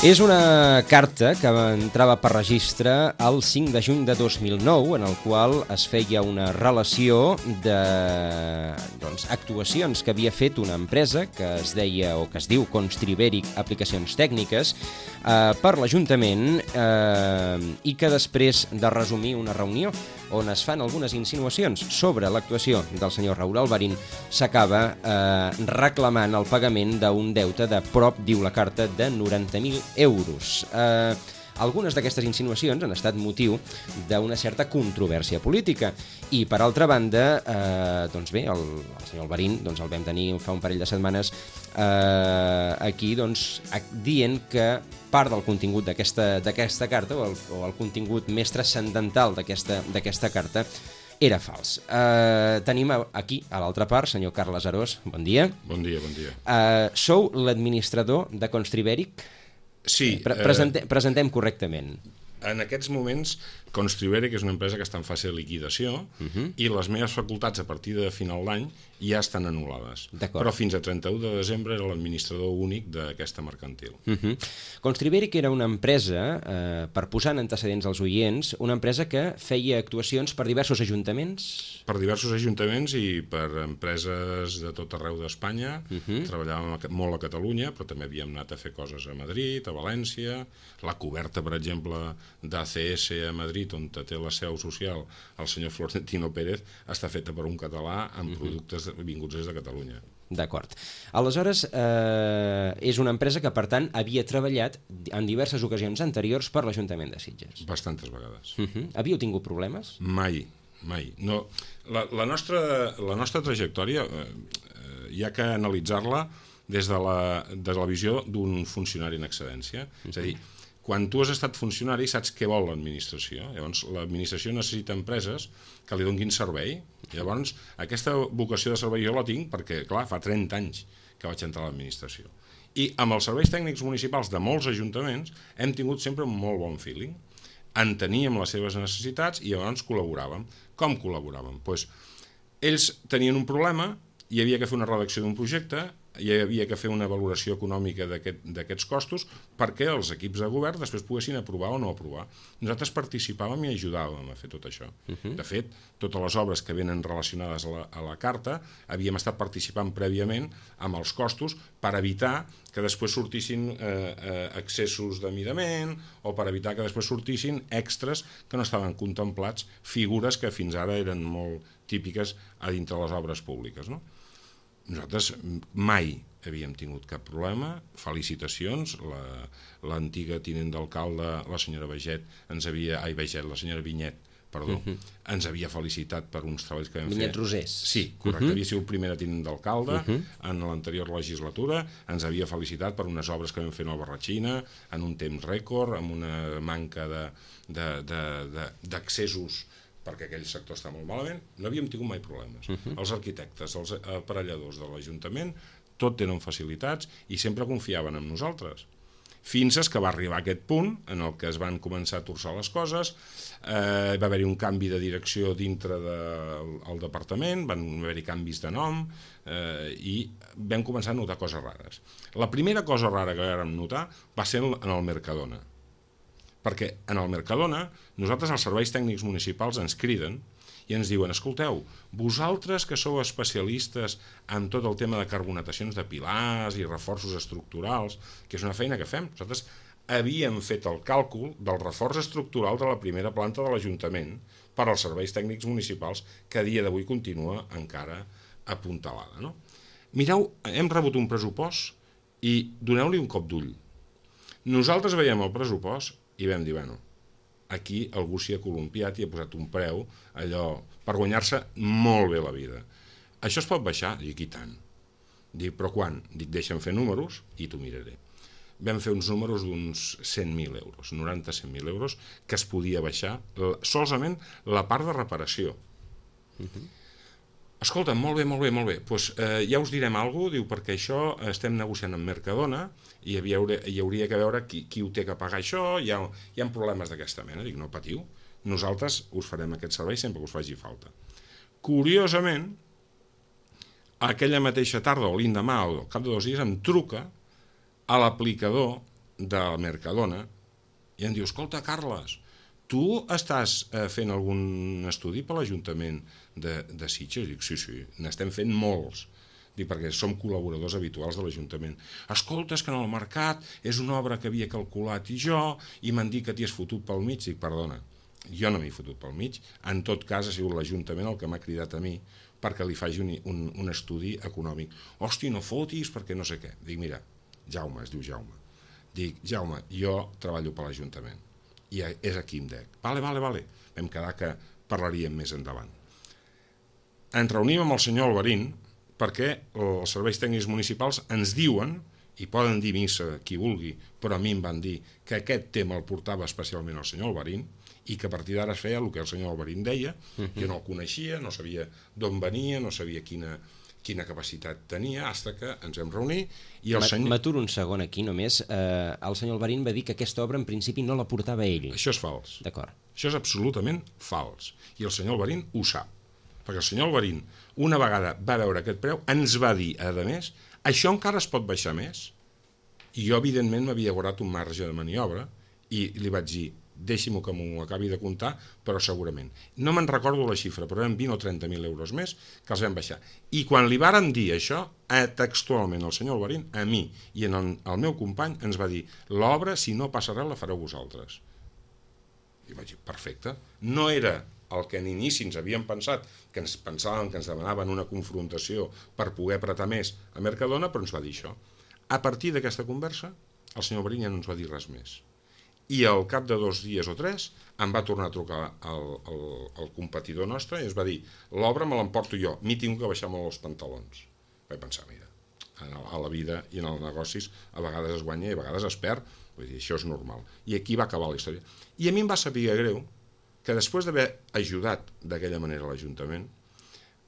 És una carta que entrava per registre el 5 de juny de 2009, en el qual es feia una relació d'actuacions que havia fet una empresa que es deia o que es diu Constribèric Aplicacions Tècniques per l'Ajuntament i que després de resumir una reunió on es fan algunes insinuacions sobre l'actuació del senyor Raúl Albarín, s'acaba reclamant el pagament d'un deute de prop, diu la carta, de 90.000 euros. Algunes d'aquestes insinuacions han estat motiu d'una certa controvèrsia política i, per altra banda, doncs bé, el senyor Albarín el vam tenir fa un parell de setmanes aquí dient que part del contingut d'aquesta carta o el contingut més transcendental d'aquesta carta era fals. Tenim aquí, a l'altra part, senyor Carles Arós, bon dia. Bon dia, bon dia. Sou l'administrador de Constribèric? Sí. Presentem correctament. En aquests moments, Constribèric és una empresa que està en fase de liquidació i les meves facultats a partir de final d'any ja estan anul·lades. Però fins a 31 de desembre era l'administrador únic d'aquesta mercantil. Constribèric era una empresa, per posar en antecedents als oients, una empresa que feia actuacions per diversos ajuntaments? Per diversos ajuntaments i per empreses de tot arreu d'Espanya. Treballàvem molt a Catalunya, però també havíem anat a fer coses a Madrid, a València. La coberta, per exemple, d'ACS a Madrid, on té la seu social el senyor Florentino Pérez, està feta per un català amb productes vinguts des de Catalunya. D'acord. Aleshores, és una empresa que, per tant, havia treballat en diverses ocasions anteriors per l'Ajuntament de Sitges. Bastantes vegades. Havíeu tingut problemes? Mai. No, la nostra trajectòria hi ha que analitzar-la des de la visió d'un funcionari en excedència. És a dir, quan tu has estat funcionari saps què vol l'administració. Llavors, l'administració necessita empreses que li donin servei. Llavors, aquesta vocació de servei jo la tinc perquè, clar, fa 30 anys que vaig entrar a l'administració. I amb els serveis tècnics municipals de molts ajuntaments hem tingut sempre un molt bon feeling. Enteníem les seves necessitats i llavors col·laboràvem. Com col·laboràvem? Doncs ells tenien un problema, hi havia que fer una redacció d'un projecte, hi havia que fer una valoració econòmica d'aquests costos perquè els equips de govern després poguessin aprovar o no aprovar. Nosaltres participàvem i ajudàvem a fer tot això. De fet, totes les obres que venen relacionades a la carta havíem estat participant prèviament amb els costos per evitar que després sortissin excessos de midament o per evitar que després sortissin extras que no estaven contemplats, figures que fins ara eren molt típiques a dintre les obres públiques, no? Nosaltres mai havíem tingut cap problema. Felicitacions. L'antiga tinent d'alcalde, la senyora la senyora Vinyet, ens havia felicitat per uns treballs que vam fer. Vinyet Rosés. Sí, correcte. Havia sigut primera tinent d'alcalde en l'anterior legislatura. Ens havia felicitat per unes obres que vam fer a Albarrachina en un temps rècord, amb una manca d'accessos perquè aquell sector està molt malament. No havíem tingut mai problemes. Els arquitectes, els aparelladors de l'Ajuntament, tot tenen facilitats i sempre confiaven en nosaltres. Fins que va arribar aquest punt en el que es van començar a torçar les coses, va haver-hi un canvi de direcció dintre del departament, van haver-hi canvis de nom i vam començar a notar coses rares. La primera cosa rara que vam notar va ser en el Mercadona. Perquè en el Mercadona nosaltres els serveis tècnics municipals ens criden i ens diuen: escolteu, vosaltres que sou especialistes en tot el tema de carbonatacions de pilars i reforços estructurals, que és una feina que fem, nosaltres havíem fet el càlcul del reforç estructural de la primera planta de l'Ajuntament per als serveis tècnics municipals, que a dia d'avui continua encara apuntalada, no? Mireu, hem rebut un pressupost i doneu-li un cop d'ull. Nosaltres veiem el pressupost i vam dir, bueno, aquí algú s'hi ha columpiat i ha posat un preu allò per guanyar-se molt bé la vida. Això es pot baixar? Dic, i tant. Dic, però quan? Dic, deixa'm fer números i t'ho miraré. Vam fer uns números d'uns 100.000 euros, 90-100.000 euros, que es podia baixar solament la part de reparació. Escolta, molt bé, doncs ja us direm alguna cosa, diu, perquè això estem negociant amb Mercadona i hi hauria que veure qui ho té que pagar això, hi ha problemes d'aquesta mena. Dic, no patiu, nosaltres us farem aquest servei sempre que us faci falta. Curiosament, aquella mateixa tarda o l'endemà o al cap de 2 dies em truca a l'aplicador del Mercadona i em diu, escolta, Carles, tu estàs fent algun estudi per l'Ajuntament de Sitges? Dic, sí, n'estem fent molts. Dic, perquè som col·laboradors habituals de l'Ajuntament. Escolta, és que en el mercat és una obra que havia calculat i m'han dit que t'hi has fotut pel mig. Dic, perdona, jo no m'he fotut pel mig. En tot cas, ha sigut l'Ajuntament el que m'ha cridat a mi perquè li faci un estudi econòmic. Hòstia, no fotis, perquè no sé què. Dic, mira, Jaume, es diu Jaume. Dic, Jaume, jo treballo per l'Ajuntament i és aquí em dec. Vale. Vam quedar que parlaríem més endavant. Ens reunim amb el senyor Alberín perquè els serveis tècnics municipals ens diuen, i poden dir missa qui vulgui, però a mi em van dir que aquest tema el portava especialment el senyor Alberín i que a partir d'ara es feia el que el senyor Alberín deia. Jo no el coneixia, no sabia d'on venia, no sabia quina capacitat tenia, fins que ens vam reunir i el senyor... M'aturo un segon aquí només. El senyor Alberín va dir que aquesta obra en principi no la portava ell. Això és fals. D'acord. Això és absolutament fals. I el senyor Alberín ho sap. Perquè el senyor Alberín, una vegada va veure aquest preu, ens va dir, a més, això encara es pot baixar més? I jo, evidentment, m'havia guardat un marge de maniobra i li vaig dir, deixi-m'ho que m'ho acabi de comptar, però segurament. No me'n recordo la xifra, però eren 20 o 30.000 euros més que els vam baixar. I quan li vàrem dir això, textualment el senyor Alberín, a mi i al meu company, ens va dir, l'obra, si no passarà, la fareu vosaltres. I vaig dir, perfecte. No era el que en inici ens havíem pensat, que ens pensàvem que ens demanaven una confrontació per poder apretar més a Mercadona, però ens va dir això. A partir d'aquesta conversa, el senyor Alberín ja no ens va dir res més. I al cap de 2 dies o 3 em va tornar a trucar el competidor nostre i ens va dir, l'obra me l'emporto jo, m'hi tinc que baixar molt els pantalons. Vaig pensar, mira, a la vida i en els negocis a vegades es guanya i a vegades es perd, vull dir, això és normal. I aquí va acabar la història. I a mi em va saber greu que després d'haver ajudat d'aquella manera l'Ajuntament,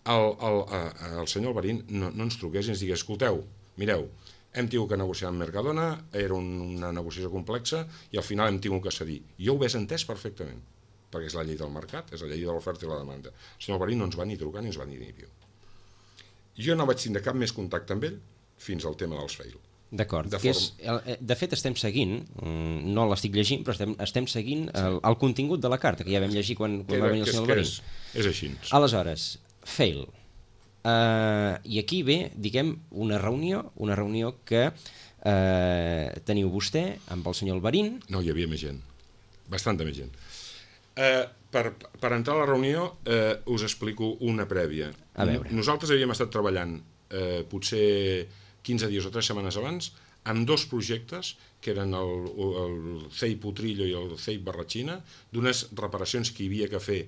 el senyor Alberín no ens truqués i ens digués, escolteu, mireu, hem tingut que negociar amb Mercadona, era una negociació complexa i al final hem tingut que cedir. Jo ho hauria entès perfectament, perquè és la llei del mercat, és la llei de l'oferta i la demanda. El senyor Alberín no ens va ni trucar ni ens va ni dir. Jo no vaig tindre cap més contacte amb ell fins al tema dels fail. D'acord. De fet, estem seguint, no l'estic llegint, però estem seguint el contingut de la carta, que ja vam llegir quan va venir el senyor Alberín. És així. Aleshores, fail. I aquí ve, diguem, una reunió que teniu vostè amb el senyor Alberín. No, hi havia més gent, bastanta més gent. Per entrar a la reunió us explico una prèvia. Nosaltres havíem estat treballant potser 15 dies o 3 setmanes abans amb 2 projectes que eren el CEI Potrillo i el CEI Barratxina, d'unes reparacions que hi havia que fer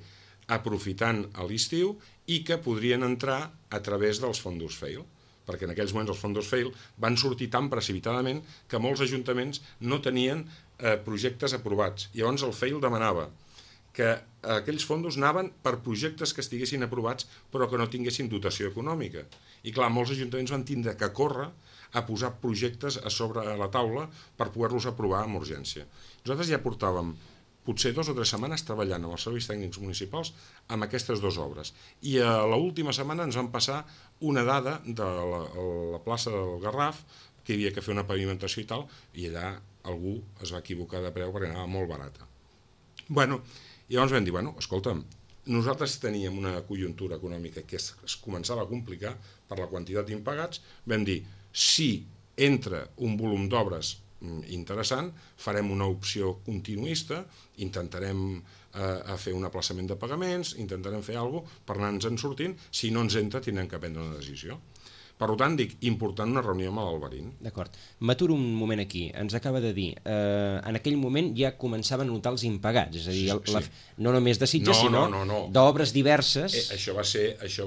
aprofitant l'estiu i que podrien entrar a través dels fondos FAIL, perquè en aquells moments els fondos FAIL van sortir tan precipitadament que molts ajuntaments no tenien projectes aprovats. Llavors el FAIL demanava que aquells fondos anaven per projectes que estiguessin aprovats però que no tinguessin dotació econòmica. I clar, molts ajuntaments van tindre que córrer a posar projectes a sobre la taula per poder-los aprovar amb urgència. Nosaltres ja portàvem potser 2 o 3 setmanes treballant amb els serveis tècnics municipals amb aquestes 2 obres. I a l'última setmana ens van passar una dada de la plaça del Garraf, que hi havia que fer una pavimentació i tal, i allà algú es va equivocar de preu perquè anava molt barata. I llavors vam dir, escolta'm, nosaltres teníem una conjuntura econòmica que es començava a complicar per la quantitat d'impagats, vam dir, si entra un volum d'obres interessant, farem una opció continuista, intentarem fer un aplaçament de pagaments, intentarem fer alguna cosa per anar-nos-en sortint, si no ens entra tindrem que prendre una decisió. Per tant, dic, important una reunió amb l'Alberín. D'acord. M'aturo un moment aquí. Ens acaba de dir, en aquell moment ja començaven a notar els impagats, és a dir, no només de Sitges, sinó d'obres diverses. Això va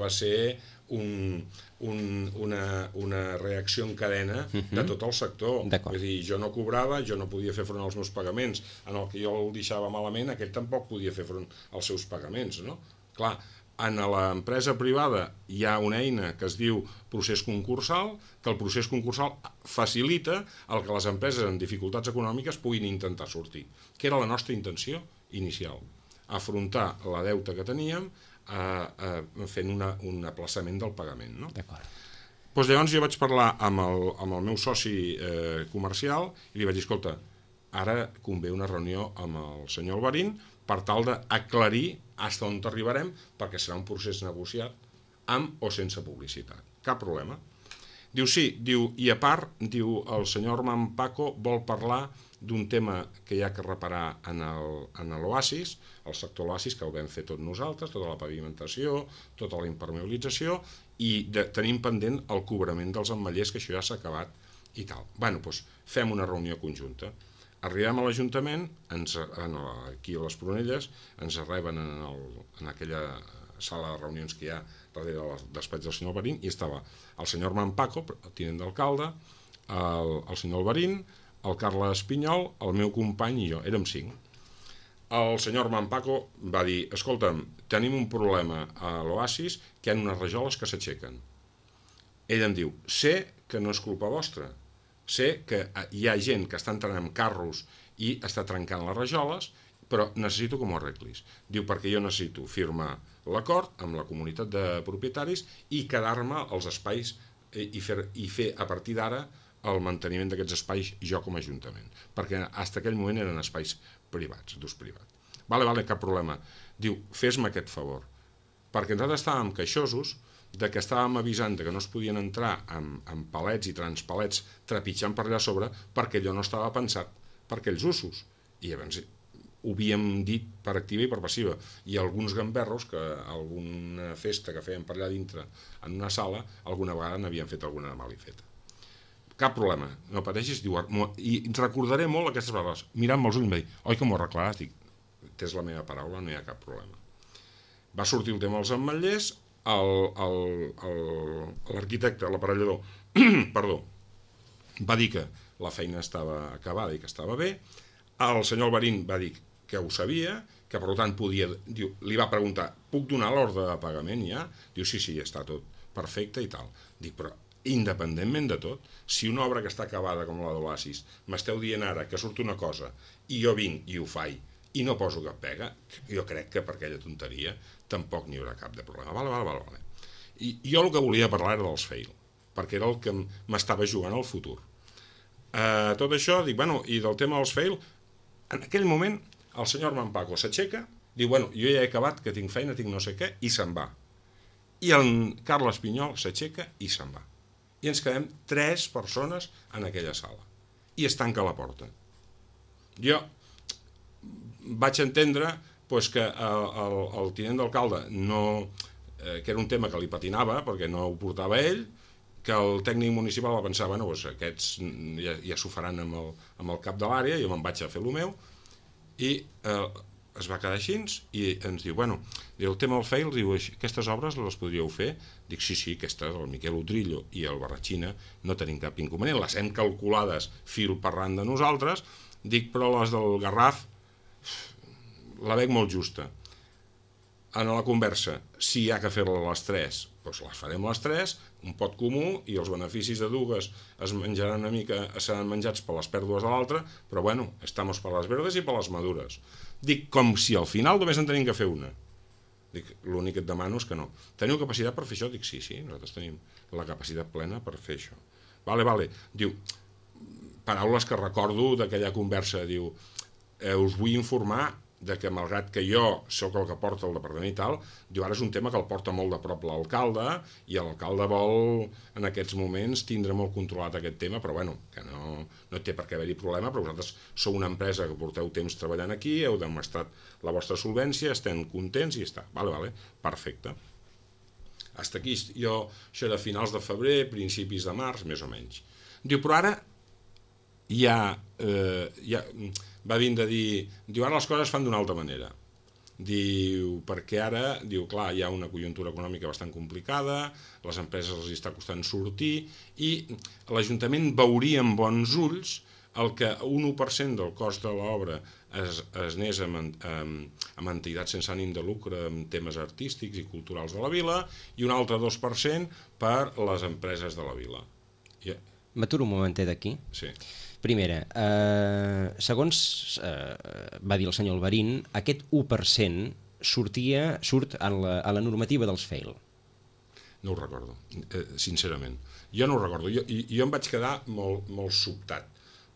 ser una reacció en cadena de tot el sector. És dir, jo no cobrava, jo no podia fer front als meus pagaments, en el que jo el deixava malament, aquell tampoc podia fer front als seus pagaments, no? Clar, en l'empresa privada hi ha una eina que es diu procés concursal, que el procés concursal facilita el que les empreses amb dificultats econòmiques puguin intentar sortir, que era la nostra intenció inicial, afrontar la deuta que teníem fent un aplaçament del pagament. No? Llavors jo vaig parlar amb el meu soci comercial i li vaig dir, escolta, ara convé una reunió amb el senyor Albarín per tal d'aclarir fins on arribarem, perquè serà un procés negociat amb o sense publicitat. Cap problema. Diu sí, diu, i a part, diu, el senyor Armand Paco vol parlar d'un tema que hi ha que reparar en l'Oasis, el sector Oasis, que el vam fer tots nosaltres, tota la pavimentació, tota la impermeabilització, i tenim pendent el cobrament dels ametllers, que això ja s'ha acabat i tal. Bueno, doncs fem una reunió conjunta. Arribem a l'Ajuntament, aquí a les Prunelles, ens reben en aquella sala de reunions que hi ha darrere del despatx del senyor Albarín, i estava el senyor Armand Paco, el tinent d'alcalde, el senyor Albarín, el Carles Pinyol, el meu company i jo, érem 5. El senyor Armand Paco va dir, escolta'm, tenim un problema a l'Oasis, que hi ha unes rajoles que s'aixequen. Ell em diu, sé que no és culpa vostra, sé que hi ha gent que està entrant amb carros i està trencant les rajoles, però necessito que m'ho arreglis. Diu, perquè jo necessito firmar l'acord amb la comunitat de propietaris i quedar-me als espais i fer a partir d'ara el manteniment d'aquests espais jo com a Ajuntament, perquè fins aquell moment eren espais privats, d'ús privat. Vale, cap problema. Diu, fes-me aquest favor, perquè nosaltres estàvem queixosos de que estàvem avisant que no es podien entrar amb palets i transpalets trepitjant per allà sobre perquè allò no estava pensat per aquells usos. I llavors ho havíem dit per activa i per passiva. I alguns gamberros, que alguna festa que feien per allà dintre en una sala, alguna vegada n'havien fet alguna malifeta. Cap problema, no pateixis, diu, i recordaré molt aquestes paraules. Mirant-me els ulls em va dir, oi que m'ho arreglaràs? Dic, tens la meva paraula, no hi ha cap problema. Va sortir el tema dels ametllers, l'arquitecte, l'aparellador, perdó, va dir que la feina estava acabada i que estava bé. El senyor Albarín va dir que ho sabia, que per tant podia, diu, li va preguntar, puc donar l'ordre de pagament ja? Diu, sí, està tot perfecte i tal. Dic, però independentment de tot, si una obra que està acabada com la d'Oasis m'esteu dient ara que surt una cosa i jo vinc i ho faig i no poso cap pega, jo crec que per aquella tonteria tampoc n'hi haurà cap de problema. Vale. I jo el que volia parlar era dels fail, perquè era el que m'estava jugant al futur. Tot això, dic, bueno, i del tema dels fail, en aquell moment el senyor Armand Paco s'aixeca, diu, bueno, jo ja he acabat, que tinc feina, tinc no sé què, i se'n va. I el Carles Pinyol s'aixeca i se'n va. I ens quedem 3 persones en aquella sala. I es tanca la porta. Jo vaig entendre que el tinent d'alcalde que era un tema que li patinava perquè no ho portava ell, que el tècnic municipal va pensar, bueno, aquests ja s'ho faran amb el cap de l'àrea, jo me'n vaig a fer el meu, i es va quedar així i ens diu, bueno, el tema del fail, diu, aquestes obres les podríeu fer? Dic, sí, aquestes, el Miquel Utrillo i el Barratxina, no tenim cap inconvenient, les hem calculades fil per ran de nosaltres, dic, però les del Garraf la veig molt justa. En la conversa, si hi ha que fer-la a les 3, doncs les farem a les 3, un pot comú, i els beneficis de dues es menjaran una mica, seran menjats per les pèrdues de l'altra, però bueno, estamos per les verdes i per les madures. Dic, com si al final només en tenim que fer una. Dic, l'únic que et demano és que no. Teniu capacitat per fer això? Dic, sí, nosaltres tenim la capacitat plena per fer això. Vale. Diu, paraules que recordo d'aquella conversa, diu, us vull informar de que malgrat que jo sóc el que porta el departament i tal, diu, ara és un tema que el porta molt de prop l'alcalde i l'alcalde vol en aquests moments tindre molt controlat aquest tema, però bueno, que no té per què haver-hi problema, però vosaltres sou una empresa que porteu temps treballant aquí, heu demostrat la vostra solvència, estem contents i ja està. Vale, perfecte. Hasta aquí, això era finals de febrer, principis de març, més o menys. Diu, però ara ja va vindre a dir, diu, ara les coses es fan d'una altra manera. Diu, perquè ara, diu, clar, hi ha una conjuntura econòmica bastant complicada, les empreses els està costant sortir, i l'Ajuntament veuria amb bons ulls el que un 1% del cost de l'obra es anés amb entitats sense ànim de lucre, amb temes artístics i culturals de la vila, i un altre 2% per les empreses de la vila. M'aturo un momentet aquí. Sí. Primera, segons va dir el senyor Albarín, aquest 1% surt a la normativa dels fail. No ho recordo, sincerament. Jo no ho recordo. Jo em vaig quedar molt sobtat,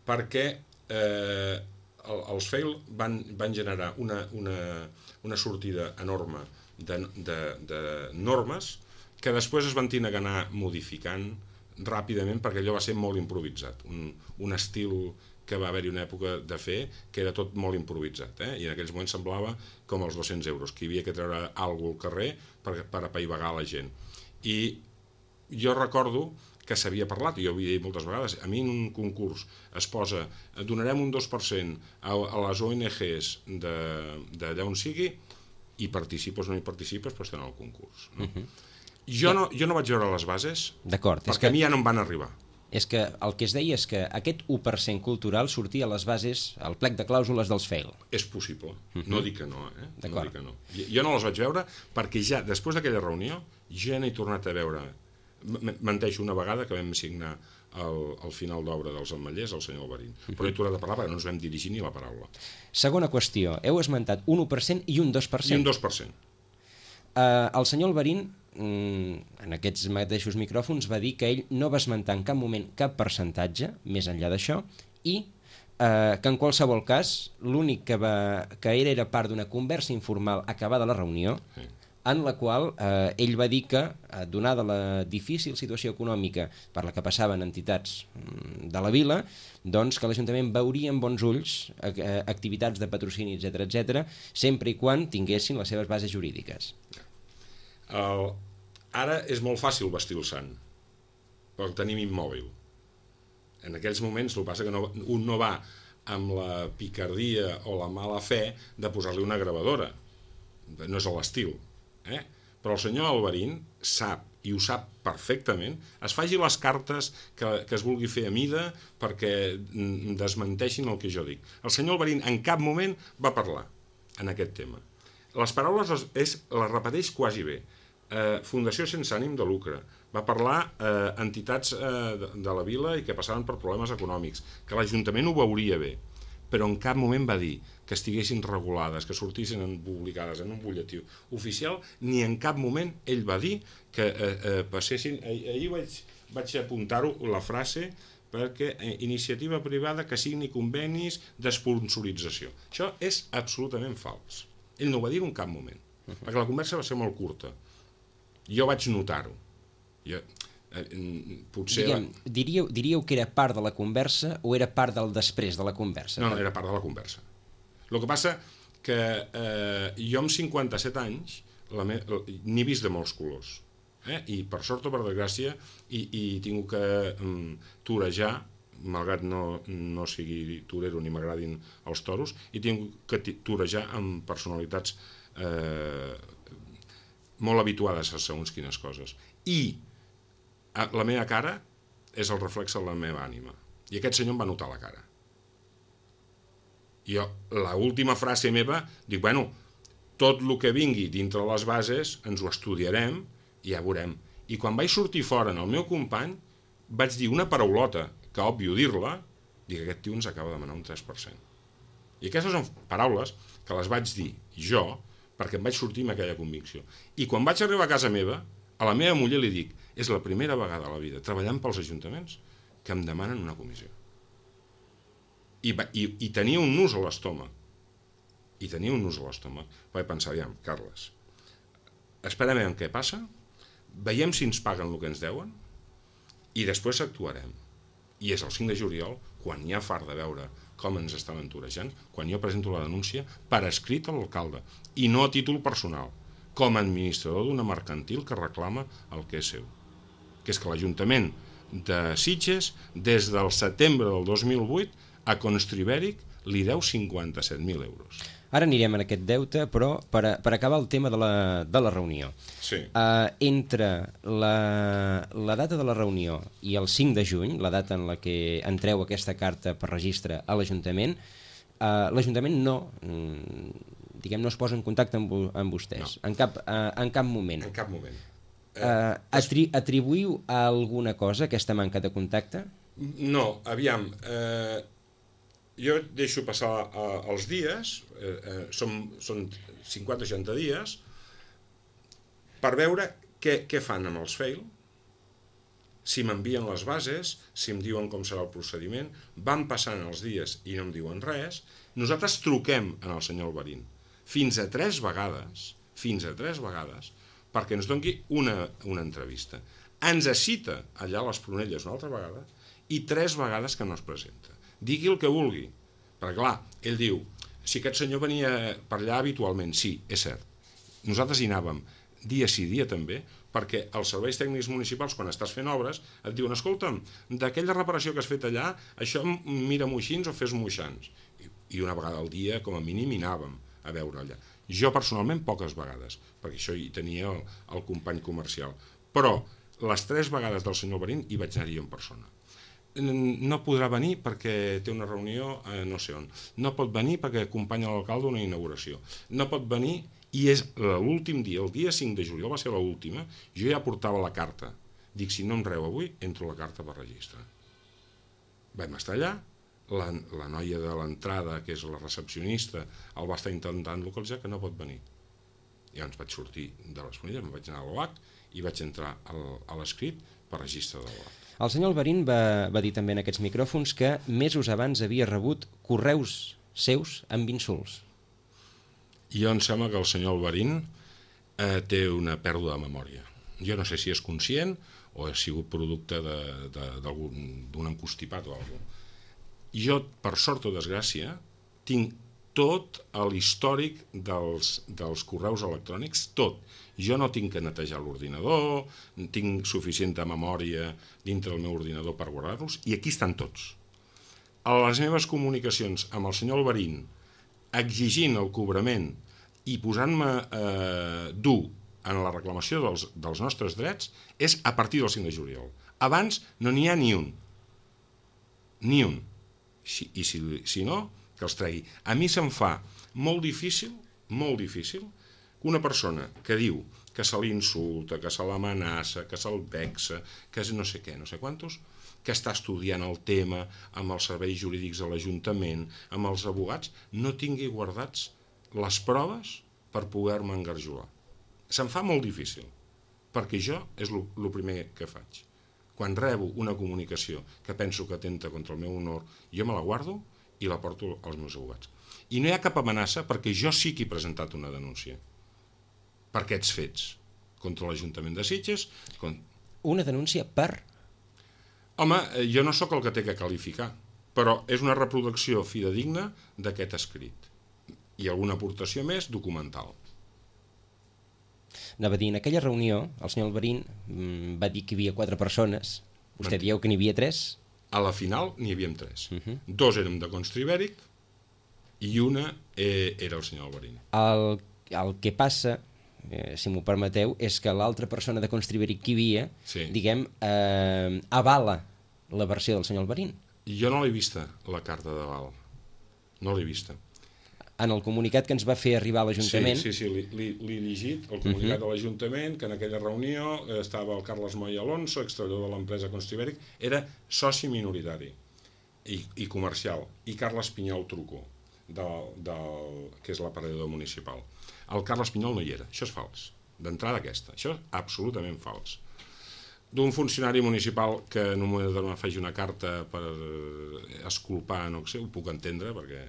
perquè els fail van generar una sortida enorme de normes que després es van tenir que anar modificant ràpidament perquè allò va ser molt improvisat. Un estil que va haver-hi una època de fer que era tot molt improvisat, i en aquells moments semblava com els 200 euros, que hi havia que treure alguna cosa al carrer per apaivagar la gent. I jo recordo que s'havia parlat, i jo ho havia dit moltes vegades, a mi en un concurs es posa, donarem un 2% a les ONGs d'allà on sigui, i participes o no hi participes, però estan al concurs. No? Jo no vaig veure les bases, perquè a mi ja no em van arribar. És que el que es deia és que aquest 1% cultural sortia a les bases, al plec de clàusules dels fail. És possible, no dic que no, no dic que no. Jo no les vaig veure perquè ja, després d'aquella reunió, ja n'he tornat a veure. Menteixo una vegada que vam signar el final d'obra dels Ametllers, el senyor Alberín. Però he tornat a parlar perquè no ens vam dirigir ni la paraula. Segona qüestió, heu esmentat un 1% i un 2%. I un 2%. El senyor Alberín, en aquests mateixos micròfons, va dir que ell no va esmentar en cap moment cap percentatge, més enllà d'això, i que en qualsevol cas l'únic que era part d'una conversa informal acabada la reunió, en la qual ell va dir que, donada la difícil situació econòmica per la que passaven entitats de la vila, doncs que l'Ajuntament veuria amb bons ulls activitats de patrocini, etc., sempre i quan tinguessin les seves bases jurídiques. Ara és molt fàcil vestir el sant, però tenim immòbil. En aquells moments el que passa que un no va amb la picardia o la mala fe de posar-li una gravadora. No és l'estil. Però el senyor Alberín sap, i ho sap perfectament, es faci les cartes que es vulgui fer a mida perquè desmenteixin el que jo dic. El senyor Alberín en cap moment va parlar en aquest tema. Les paraules les repeteix quasi bé. Fundació sense ànim de lucre. Va parlar entitats de la vila i que passaven per problemes econòmics, que l'Ajuntament ho veuria bé, però en cap moment va dir que estiguessin regulades, que sortissin publicades en un butlletí oficial, ni en cap moment ell va dir que passessin... Ahir vaig apuntar-ho, la frase, perquè iniciativa privada que signi convenis d'esponsorització. Això és absolutament fals. Ell no ho va dir en cap moment, perquè la conversa va ser molt curta. Jo vaig notar-ho. Diríeu que era part de la conversa o era part del després de la conversa? No, era part de la conversa. El que passa que jo amb 57 anys n'he vist de molts colors. I per sort o per desgràcia he tingut que torejar, malgrat no sigui torero ni m'agradin els toros, he tingut que torejar amb personalitats molt habituades a segons quines coses. I la meva cara és el reflex de la meva ànima. I aquest senyor em va notar la cara. I jo, l'última frase meva, dic, bueno, tot el que vingui dintre les bases ens ho estudiarem i ja veurem. I quan vaig sortir fora en el meu company, vaig dir una paraulota, que òbvio dir-la, dic, aquest tio ens acaba de demanar un 3%. I aquestes són paraules que les vaig dir jo, perquè em vaig sortir amb aquella convicció. I quan vaig arribar a casa meva, a la meva muller li dic, és la primera vegada a la vida, treballant pels ajuntaments, que em demanen una comissió. I tenia un nus a l'estómac. Vaig pensar, aviam, Carles, esperem què passa, veiem si ens paguen el que ens deuen, i després actuarem. I és el 5 de juliol, quan hi ha fart de veure com ens estaven torejant, quan jo presento la denúncia per escrit a l'alcalde, i no a títol personal, com a administrador d'una mercantil que reclama el que és seu, que és que l'Ajuntament de Sitges, des del setembre del 2008, a Constribèric li deu 57.000 euros. Ara anirem en aquest deute, però per acabar el tema de la reunió. Sí. Entre la data de la reunió i el 5 de juny, la data en la que entreu aquesta carta per registre a l'Ajuntament, l'Ajuntament no es posa en contacte amb vostès, no. En cap moment. En cap moment. Atribuïu a alguna cosa aquesta manca de contacte? No, aviam, jo deixo passar els dies, són 50-60 dies, per veure què fan amb els fail, si m'envien les bases, si em diuen com serà el procediment, van passant els dies i no em diuen res, nosaltres truquem al senyor Alberín fins a 3 vegades, perquè ens doni una entrevista. Ens cita allà a les Pronelles una altra vegada i 3 vegades que no es presenta. Digui el que vulgui, perquè clar, ell diu, si aquest senyor venia per allà habitualment, sí, és cert. Nosaltres hi anàvem dia sí, dia també, perquè els serveis tècnics municipals, quan estàs fent obres, et diuen, escolta'm, d'aquella reparació que has fet allà, això mira-m'ho així o fes-m'ho així. I una vegada al dia, com a mínim, hi anàvem a veure allà. Jo, personalment, poques vegades, perquè això hi tenia el company comercial. Però les 3 vegades del senyor Alberín hi vaig anar-hi en persona. No podrà venir perquè té una reunió no sé on. No pot venir perquè acompanya l'alcalde a una inauguració. No pot venir, i és l'últim dia, el dia 5 de juliol va ser l'última, jo ja portava la carta. Dic, si no em reu avui, entro la carta per registre. Vam estar allà, la noia de l'entrada, que és la recepcionista, el va estar intentant localitzar, que no pot venir. Llavors vaig sortir de les Pronelles, me'n vaig anar a l'OAC i vaig entrar a l'escrit per registre de l'OAC. El senyor Alberín va dir també en aquests micròfons que mesos abans havia rebut correus seus amb insults. Jo em sembla que el senyor Alberín té una pèrdua de memòria. Jo no sé si és conscient o ha sigut producte d'un encostipat o alguna cosa. Jo, per sort o desgràcia, tinc tot l'històric dels correus electrònics, tot. Jo no tinc que netejar l'ordinador, tinc suficient memòria dintre del meu ordinador per guardar-los, i aquí estan tots. A les meves comunicacions amb el senyor Alberín, exigint el cobrament i posant-me dur en la reclamació dels nostres drets, és a partir del 5 de juliol. Abans no n'hi ha ni un. Ni un. I si no, que els tregui. A mi se'm fa molt difícil, que una persona que diu que se l'insulta, que se l'amenaça, que se'l vexa, que és no sé què, no sé quantos, que està estudiant el tema amb els serveis jurídics de l'Ajuntament, amb els advocats, no tingui guardats les proves per poder-me engarjolar. Se'm fa molt difícil, perquè jo és el primer que faig. Quan rebo una comunicació que penso que atenta contra el meu honor, jo me la guardo i la porto als meus advocats. I no hi ha cap amenaça perquè jo sí que he presentat una denúncia per aquests fets contra l'Ajuntament de Sitges. Una denúncia per? Home, jo no sóc el que té que qualificar, però és una reproducció fidedigna d'aquest escrit. I alguna aportació més documental. Anava a dir, en aquella reunió, el senyor Alberín va dir que hi havia 4 persones. Vostè dieu que n'hi havia 3? A la final n'hi havíem 3. 2 érem de Constribèric i una era el senyor Alberín. El que passa, si m'ho permeteu, és que l'altra persona de Constribèric que hi havia, diguem, avala la versió del senyor Alberín. Jo no l'he vista, la carta d'aval. No l'he vista. En el comunicat que ens va fer arribar a l'Ajuntament... Sí, l'he llegit, el comunicat de l'Ajuntament, que en aquella reunió estava el Carles Moy Alonso, extreballador de l'empresa Constribèric, era soci minoritari i comercial, i Carles Pinyol Trucó, que és l'aparador municipal. El Carles Pinyol no hi era, això és fals, d'entrada aquesta, això és absolutament fals. D'un funcionari municipal que en un moment determinat faci una carta per esculpar, no sé, ho puc entendre, perquè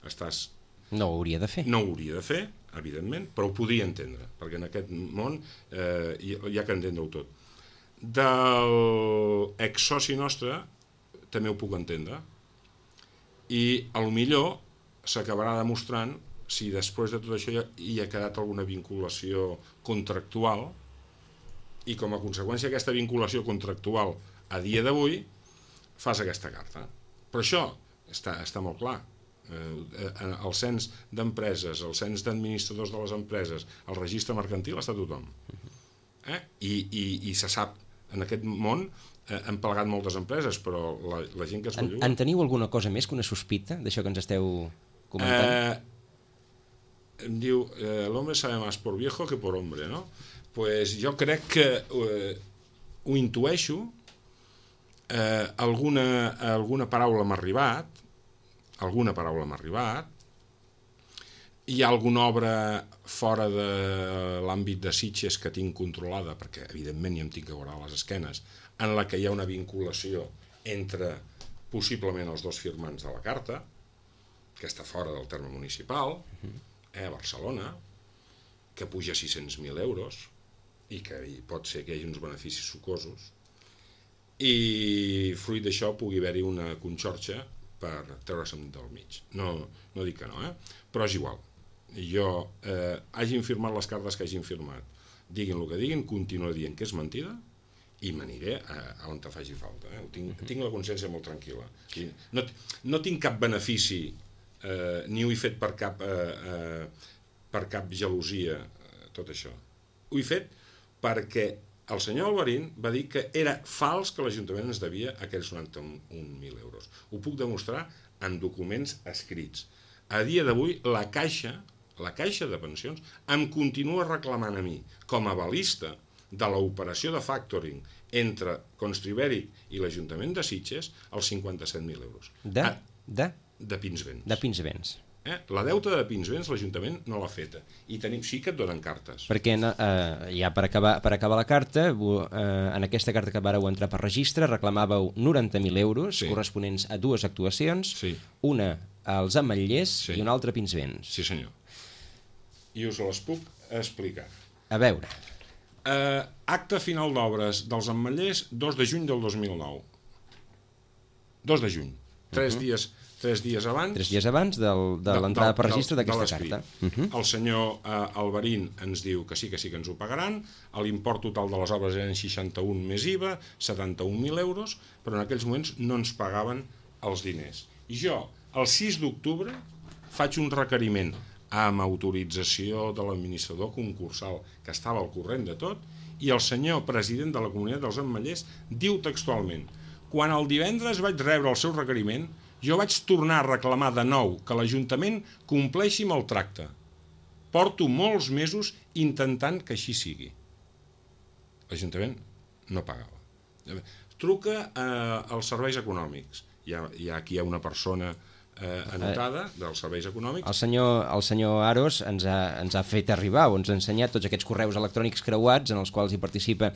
estàs... No ho hauria de fer. No ho hauria de fer, evidentment, però ho podria entendre, perquè en aquest món hi ha que entendre-ho tot. Del exsoci nostre també ho puc entendre, i potser s'acabarà demostrant si després de tot això hi ha quedat alguna vinculació contractual, i com a conseqüència d'aquesta vinculació contractual a dia d'avui fas aquesta carta. Però això està molt clar. El cens d'empreses, el cens d'administradors de les empreses, el registre mercantil, està tothom. I se sap, en aquest món han plegat moltes empreses, però la gent que es belluga... En teniu alguna cosa més que una sospita d'això que ens esteu comentant? Em diu, l'home sabe más por viejo que por hombre, no? Pues jo crec que ho intueixo, alguna paraula m'ha arribat, hi ha alguna obra fora de l'àmbit de Sitges que tinc controlada, perquè evidentment ja em tinc que veure a les esquenes, en la que hi ha una vinculació entre possiblement els dos firmants de la carta, que està fora del terme municipal, a Barcelona, que puja 600.000 euros i que pot ser que hi hagi uns beneficis sucosos, i fruit d'això pugui haver-hi una conxorxa per treure-se'n del mig. No dic que no, però és igual. Jo hagin firmat les cartes que hagin firmat, diguin el que diguin, continuo dient que és mentida i m'aniré a on te faci falta. Tinc la consciència molt tranquil·la. No tinc cap benefici, ni ho he fet per cap gelosia, tot això. Ho he fet perquè el senyor Alberín va dir que era fals que l'Ajuntament ens devia aquells 91.000 euros. Ho puc demostrar en documents escrits. A dia d'avui, la Caixa de Pensions em continua reclamant a mi, com a avalista de l'operació de factoring entre Constribèric i l'Ajuntament de Sitges, els 57.000 euros. De Pinsbens. De Pinsbens. La deuta de Pinsbens l'Ajuntament no l'ha feta. I sí que et donen cartes. Perquè ja per acabar la carta, en aquesta carta que vareu entrar per registre, reclamàveu 90.000 euros corresponents a dues actuacions, una als Ametllers i una altra a Pinsbens. Sí, senyor. I us les puc explicar. A veure. Acte final d'obres dels Ametllers, 2 de juny del 2009. 2 de juny. 3 dies abans... 3 dies abans de l'entrada per registre d'aquesta carta. El senyor Alberín ens diu que sí que ens ho pagaran, l'import total de les obres eren 61 més IVA, 71.000 euros, però en aquells moments no ens pagaven els diners. I jo, el 6 d'octubre, faig un requeriment amb autorització de l'administrador concursal, que estava al corrent de tot, i el senyor president de la Comunitat dels Ametllers diu textualment: quan el divendres vaig rebre el seu requeriment, jo vaig tornar a reclamar de nou que l'Ajuntament compleixi amb el tracte. Porto molts mesos intentant que així sigui. L'Ajuntament no pagava. Truca als serveis econòmics. Aquí hi ha una persona anotada dels serveis econòmics. El senyor Aros ens ha fet arribar o ens ha ensenyat tots aquests correus electrònics creuats en els quals hi participa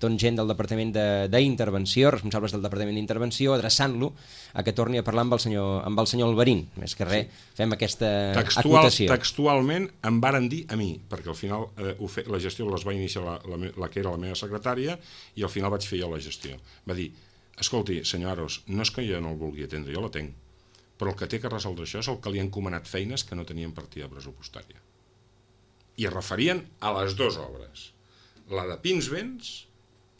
gent del Departament d'Intervenció, responsables del Departament d'Intervenció, adreçant-lo a que torni a parlar amb el senyor Alberín. Més que res, fem aquesta acotació. Textualment em varen dir a mi, perquè al final la gestió les va iniciar la que era la meva secretària i al final vaig fer jo la gestió. Va dir: escolti, senyor Aros, no és que jo no el vulgui atendre, jo la tenc, però el que té que resoldre això és el que li han encomanat feines que no tenien partida pressupostària. I es referien a les dues obres, la de Pinsbens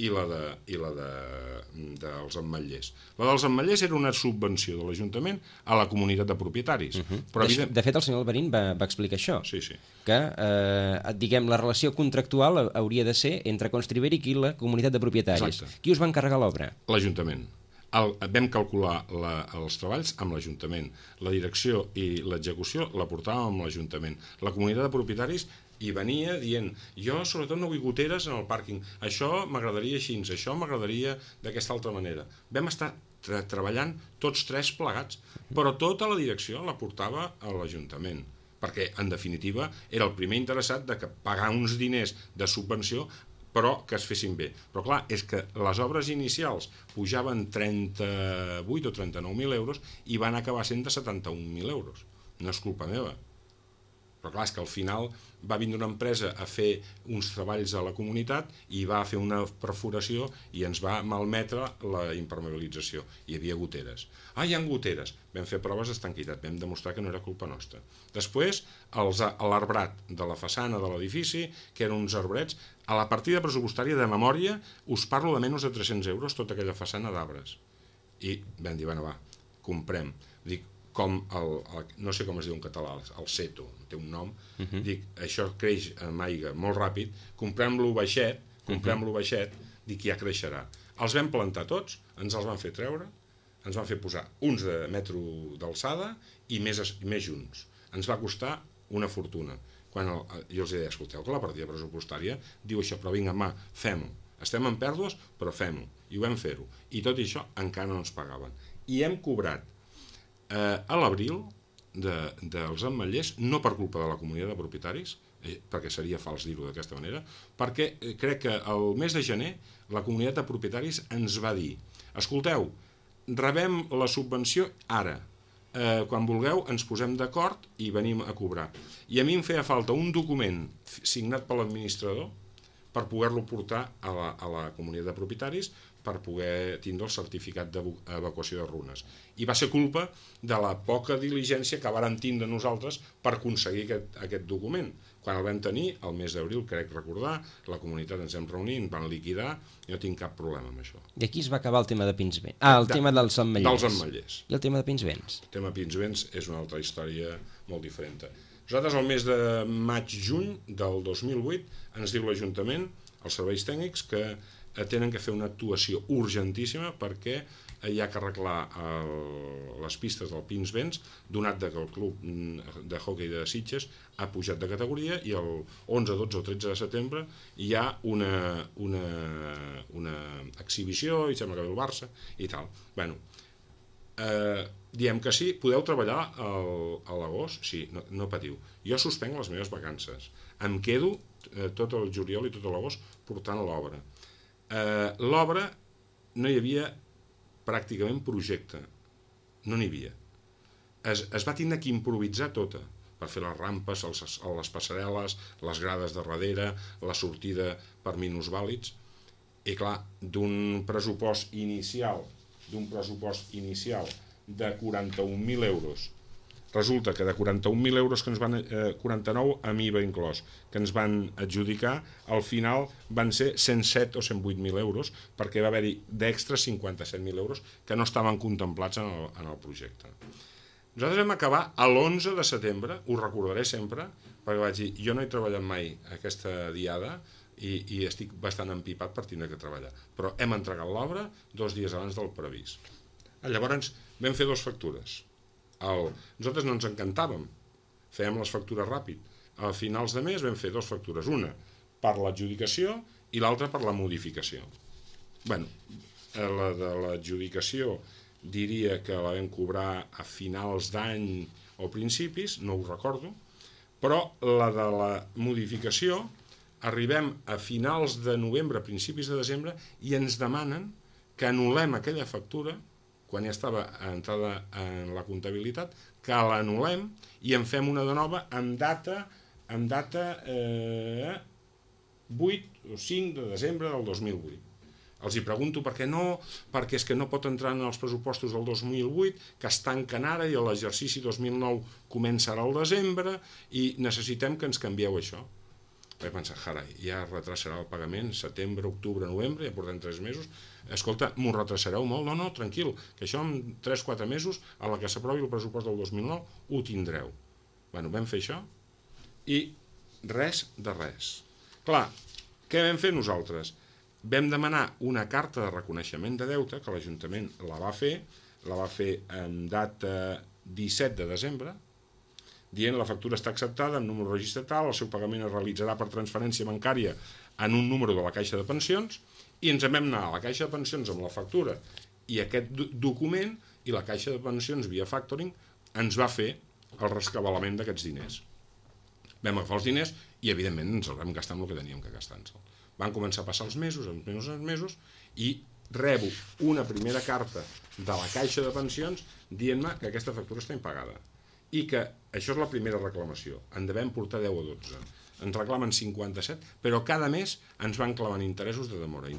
i la dels Ametllers. La dels Ametllers era una subvenció de l'Ajuntament a la comunitat de propietaris. De fet, el senyor Alberín va explicar això, sí. Que la relació contractual hauria de ser entre Constribèric i la comunitat de propietaris. Exacte. Qui us va encarregar l'obra? L'Ajuntament. Vam calcular els treballs amb l'Ajuntament. La direcció i l'execució la portàvem amb l'Ajuntament. La comunitat de propietaris hi venia dient: jo sobretot no vull goteres en el pàrquing, això m'agradaria així, això m'agradaria d'aquesta altra manera. Vam estar treballant tots tres plegats, però tota la direcció la portava a l'Ajuntament, perquè en definitiva era el primer interessat de pagar uns diners de subvenció però que es fessin bé. Però clar, és que les obres inicials pujaven 38 o 39.000 euros i van acabar sent de 71.000 euros. No és culpa meva. Però clar, és que al final va vindre una empresa a fer uns treballs a la comunitat i va fer una perforació i ens va malmetre la impermeabilització. Hi havia goteres. Hi ha goteres. Vam fer proves d'estanquitat, vam demostrar que no era culpa nostra. Després, l'arbrat de la façana de l'edifici, que eren uns arbrets, a la partida pressupostària de memòria us parlo de menys de 300 euros tota aquella façana d'arbres. I vam dir, va, comprem. Dic, com no sé com es diu en català, el seto, té un nom, dic, això creix amb aigua molt ràpid, comprem-lo baixet, dic, ja creixerà. Els vam plantar tots, ens els van fer treure, ens van fer posar uns de metro d'alçada i més junts. Ens va costar una fortuna. Quan jo els deia, escolteu, que la partida pressupostària diu això, però vinga, fem-ho. Estem en pèrdues, però fem-ho. I ho vam fer-ho. I tot això encara no ens pagaven. I hem cobrat a l'abril dels ametllers, no per culpa de la comunitat de propietaris, perquè seria fals dir-ho d'aquesta manera, perquè crec que el mes de gener la comunitat de propietaris ens va dir: escolteu, rebem la subvenció ara, quan vulgueu ens posem d'acord i venim a cobrar. I a mi em feia falta un document signat per l'administrador per poder-lo portar a la comunitat de propietaris, per poder tindre el certificat d'evacuació de runes. I va ser culpa de la poca diligència que vàrem tindre nosaltres per aconseguir aquest document. Quan el vam tenir, el mes d'abril, crec recordar, la comunitat ens hem reunit, ens van liquidar, i no tinc cap problema amb això. I aquí es va acabar el tema de Pinsbens. El tema dels ametllers. Dels ametllers. I el tema de Pinsbens? El tema de Pinsbens és una altra història molt diferent. Nosaltres, el mes de maig-juny del 2008, ens diu l'Ajuntament, els serveis tècnics, que tenen que fer una actuació urgentíssima perquè hi ha que arreglar les pistes del Pinsbens, donat que el club de hoquei de Sitges ha pujat de categoria i el 11, 12 o 13 de setembre hi ha una exhibició, i sembla que ve el Barça i tal. Bueno, diem que sí, podeu treballar a l'agost? Sí, no patiu. Jo suspenc les meves vacances. Em quedo tot el juliol i tot l'agost portant l'obra. L'obra no hi havia pràcticament projecte, no n'hi havia. Es va tindre que improvisar tota per fer les rampes, les passarel·les, les grades de darrere, la sortida per minusvàlids. I clar, d'un pressupost inicial de 41.000 euros, resulta que de 41.000 euros que ens van 49 amb IVA inclòs, que ens van adjudicar, al final van ser 107 o 108.000 euros, perquè va haver-hi d'extra 57.000 euros que no estaven contemplats en el projecte. Nosaltres vam acabar l'11 de setembre, ho recordaré sempre, perquè vaig dir, jo no he treballat mai aquesta diada i estic bastant empipat per tindre que treballar, però hem entregat l'obra 2 dies abans del previst. Llavors vam fer 2 factures. Nosaltres no ens encantàvem, fèiem les factures ràpid. A finals de mes vam fer 2 factures, una per l'adjudicació i l'altra per la modificació. Bé, la de l'adjudicació diria que la vam cobrar a finals d'any o principis, no ho recordo, però la de la modificació arribem a finals de novembre, principis de desembre, i ens demanen que anul·lem aquella factura quan ja estava entrada en la comptabilitat, que l'anul·lem i en fem una de nova amb data 8 o 5 de desembre del 2008. Els hi pregunto per què no, perquè és que no pot entrar en els pressupostos del 2008, que es tanquen ara i l'exercici 2009 comença ara al desembre i necessitem que ens canvieu això. Vaig pensar, carai, ja retrasarà el pagament, setembre, octubre, novembre, ja portem 3 mesos. Escolta, m'ho retrasareu molt? No, tranquil, que això en 3-4 mesos, a la que s'aprovi el pressupost del 2009, ho tindreu. Bueno, vam fer això i res de res. Clar, què vam fer nosaltres? Vam demanar una carta de reconeixement de deute, que l'Ajuntament la va fer en data 17 de desembre, dient la factura està acceptada amb número de registre tal, el seu pagament es realitzarà per transferència bancària en un número de la Caixa de Pensions, i ens vam anar a la Caixa de Pensions amb la factura i aquest document, i la Caixa de Pensions via factoring ens va fer el rescabalament d'aquests diners. Vam agafar els diners i evidentment ens els vam gastar amb el que teníem que gastar-nos. Van començar a passar els mesos i rebo una primera carta de la Caixa de Pensions dient-me que aquesta factura està impagada i que això és la primera reclamació. En devem portar 10 o 12. Ens reclamen 57, però cada mes ens van clavant interessos de demora.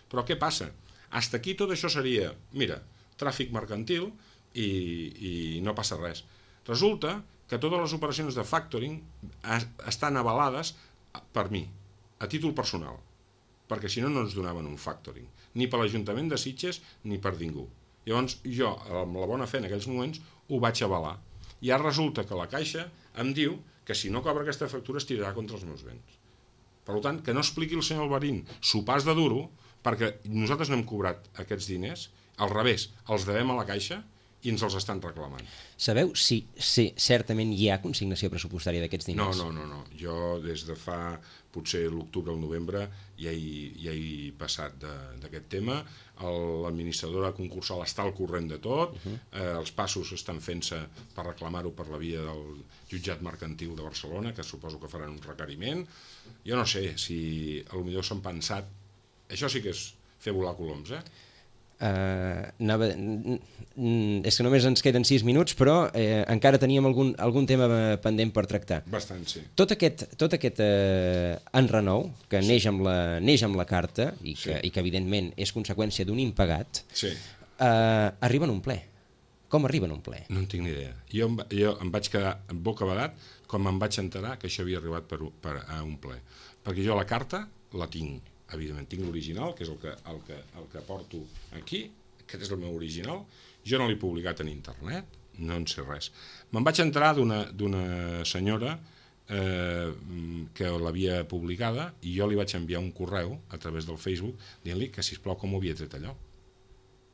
Però què passa? Hasta aquí tot això seria, mira, tràfic mercantil i no passa res. Resulta que totes les operacions de factoring estan avalades per mi, a títol personal, perquè si no, no ens donaven un factoring, ni per l'Ajuntament de Sitges ni per ningú. Llavors jo, amb la bona fe en aquells moments, ho vaig avalar. I ara resulta que la Caixa em diu que si no cobra aquesta factura es tirarà contra els meus béns. Per tant, que no expliqui el senyor Alvarín s'ho pas de duro, perquè nosaltres no hem cobrat aquests diners, al revés, els devem a la Caixa i ens els estan reclamant. Sabeu si certament hi ha consignació pressupostària d'aquests diners? No. Jo des de fa potser l'octubre o el novembre ja he passat d'aquest tema. L'administradora concursal està al corrent de tot, els passos estan fent-se per reclamar-ho per la via del jutjat mercantil de Barcelona, que suposo que faran un requeriment. Jo no sé si potser s'han pensat... Això sí que és fer volar coloms, és que només ens queden 6 minuts, però encara teníem algun tema pendent per tractar. Bastant, sí. Tot aquest enrenou que neix amb la carta i que evidentment és conseqüència d'un impagat, arriba en un ple. Com arriba en un ple? No en tinc ni idea. Jo em vaig quedar bocabadat quan em vaig enterar que això havia arribat a un ple. Perquè jo la carta la tinc, evidentment, tinc l'original, que és el que porto aquí, aquest és el meu original. Jo no l'he publicat en internet, no en sé res. Me'n vaig enterar d'una senyora que l'havia publicada i jo li vaig enviar un correu a través del Facebook dient-li que, sisplau, com ho havia tret allò.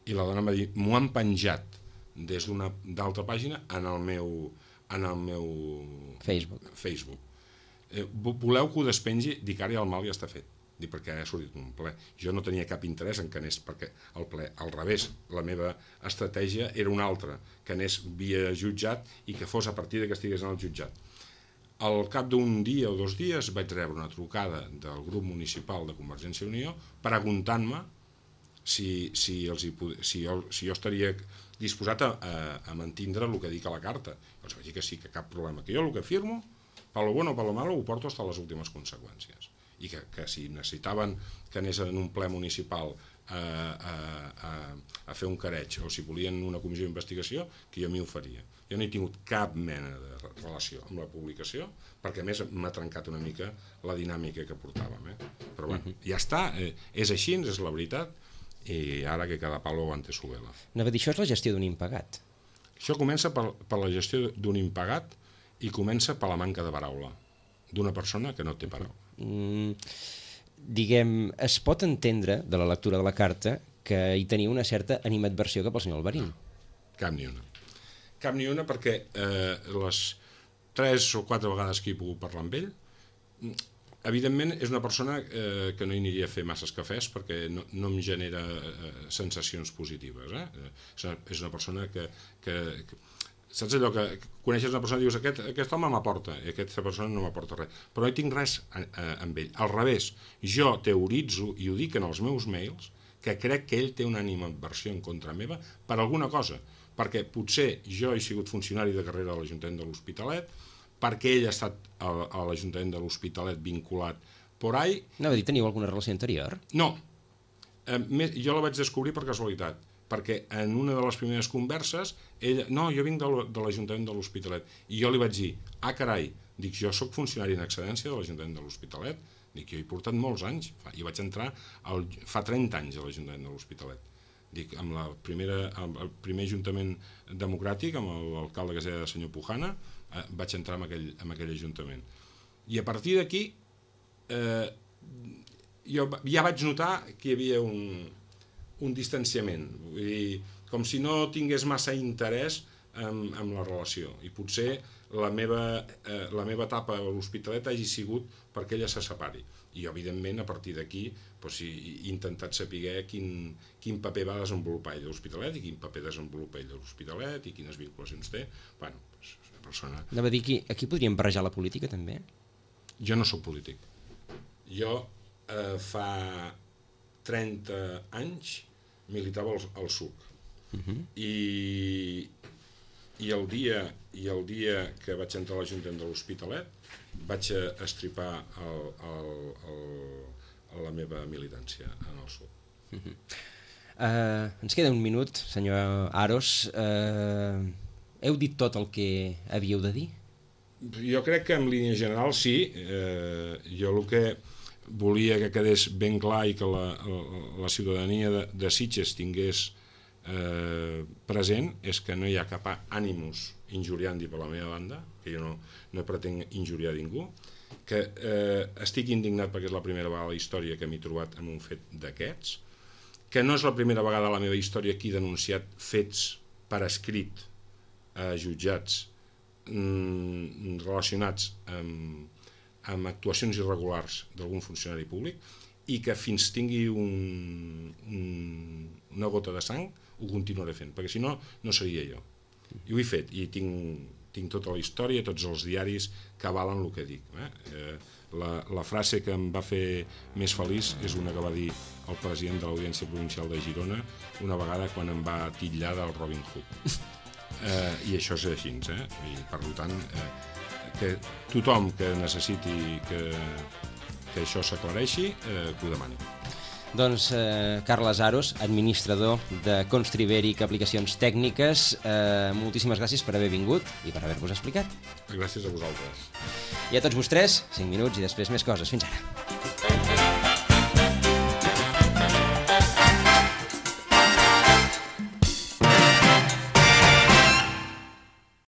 I la dona em va dir, m'ho han penjat des d'una d'altra pàgina en el meu Facebook. Voleu que ho despengi? Dic, ara el mal ja està fet. Dic, perquè ha sortit un ple. Jo no tenia cap interès en que anés perquè el ple, al revés, la meva estratègia era una altra, que anés via jutjat i que fos a partir de que estigués en el jutjat. Al cap d'un dia o 2 dies vaig rebre una trucada del grup municipal de Convergència i Unió preguntant-me si jo estaria disposat a mantindre el que dic a la carta. Llavors vaig dir que sí, que cap problema, que jo el que firmo, per lo bueno o per lo malo, ho porto fins a les últimes conseqüències. I que si necessitaven que anés en un ple municipal a fer un careig o si volien una comissió d'investigació, que jo m'hi oferia. Jo no he tingut cap mena de relació amb la publicació perquè a més m'ha trencat una mica la dinàmica que portàvem. Però bueno, ja està, és així, és la veritat, i ara que cada palo aguante su vela. Anava a dir, això és la gestió d'un impagat. Això comença per la gestió d'un impagat i comença per la manca de paraula d'una persona que no té paraula. Diguem, es pot entendre de la lectura de la carta que hi tenia una certa animadversió cap al senyor Alvarín. Cap ni una. Cap ni una perquè les 3 o 4 vegades que he pogut parlar amb ell, evidentment és una persona que no hi aniria a fer masses cafès perquè no em genera sensacions positives. És una persona que saps allò que coneixes una persona i dius aquest home m'aporta i aquesta persona no m'aporta res, però no hi tinc res amb ell. Al revés, jo teoritzo i ho dic en els meus mails que crec que ell té una animadversió en contra meva per alguna cosa, perquè potser jo he sigut funcionari de carrera a l'Ajuntament de l'Hospitalet, perquè ell ha estat a l'Ajuntament de l'Hospitalet vinculat por ahí. Anava a dir, teniu alguna relació anterior? No, jo la vaig descobrir per casualitat, perquè en una de les primeres converses ella, no, jo vinc de l'Ajuntament de l'Hospitalet, i jo li vaig dir, carai, dic, jo sóc funcionari en excedència de l'Ajuntament de l'Hospitalet, dic, jo he portat molts anys, i vaig entrar fa 30 anys a l'Ajuntament de l'Hospitalet, dic, amb el primer Ajuntament democràtic, amb l'alcalde que es deia senyor Pujana, vaig entrar en aquell Ajuntament. I a partir d'aquí jo ja vaig notar que hi havia un distanciament, vull dir, com si no tingués massa interès en la relació, i potser la meva etapa a l'Hospitalet hagi sigut perquè ella se separi, i evidentment a partir d'aquí he intentat saber quin paper va desenvolupar ell a l'Hospitalet i quin paper desenvolupa ell a l'Hospitalet i quines vinculacions té. Bueno, és una persona... Anava a dir, aquí podríem barrejar la política també? Jo no sóc polític. Jo fa 30 anys militava al SUC i el dia que vaig entrar a l'Ajuntament de l'Hospitalet vaig estripar la meva militància en el SUC. Ens queda un minut, senyor Aros. Heu dit tot el que havíeu de dir? Jo crec que en línia general sí. Jo el que volia que quedés ben clar i que la ciutadania de Sitges tingués present és que no hi ha cap ànimus injuriandi per la meva banda, que jo no pretenc injuriar ningú, que estic indignat perquè és la primera vegada a la història que m'he trobat en un fet d'aquests, que no és la primera vegada a la meva història que he denunciat fets per escrit a jutjats relacionats amb actuacions irregulars d'algun funcionari públic i que fins tingui una gota de sang ho continuaré fent, perquè si no, no seria jo. I ho he fet, i tinc tota la història, tots els diaris que avalen el que dic. La frase que em va fer més feliç és una que va dir el president de l'Audiència Provincial de Girona una vegada quan em va titllar del Robin Hood. I això és així, i per tant que tothom que necessiti que això s'aclareixi que ho demani. Doncs Carles Aros, administrador de Constribèric Aplicacions Tècniques, moltíssimes gràcies per haver vingut i per haver-vos explicat. Gràcies a vosaltres. I a tots vostès, 5 minuts i després més coses. Fins ara.